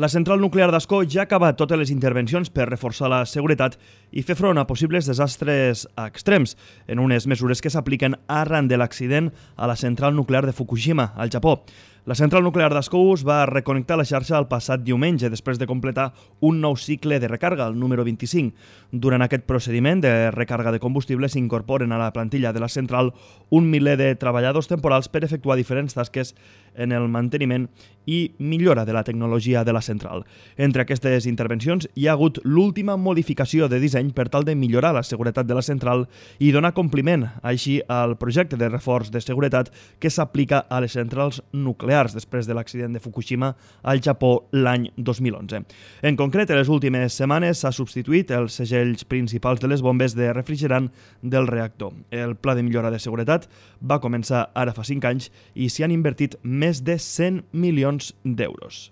La central nuclear d'Ascó ja ha acabat totes les intervencions per reforçar la seguretat i fer front a possibles desastres extrems, en unes mesures que s'apliquen arran de l'accident a la central nuclear de Fukushima, al Japó. La central nuclear d'Ascó es va reconnectar a la xarxa el passat diumenge després de completar un nou cicle de recàrrega, el número 25. Durant aquest procediment de recàrrega de combustible s'incorporen a la plantilla de la central un miler de treballadors temporals per efectuar diferents tasques en el manteniment i millora de la tecnologia de la central. Entre aquestes intervencions hi ha hagut l'última modificació de disseny per tal de millorar la seguretat de la central i donar compliment així al projecte de reforç de seguretat que s'aplica a les centrals nuclears després de l'accident de Fukushima al Japó l'any 2011. En concret, en les últimes setmanes s'ha substituït els segells principals de les bombes de refrigerant del reactor. El pla de millora de seguretat va començar ara fa 5 anys i s'hi han invertit més de 100 milions d'euros.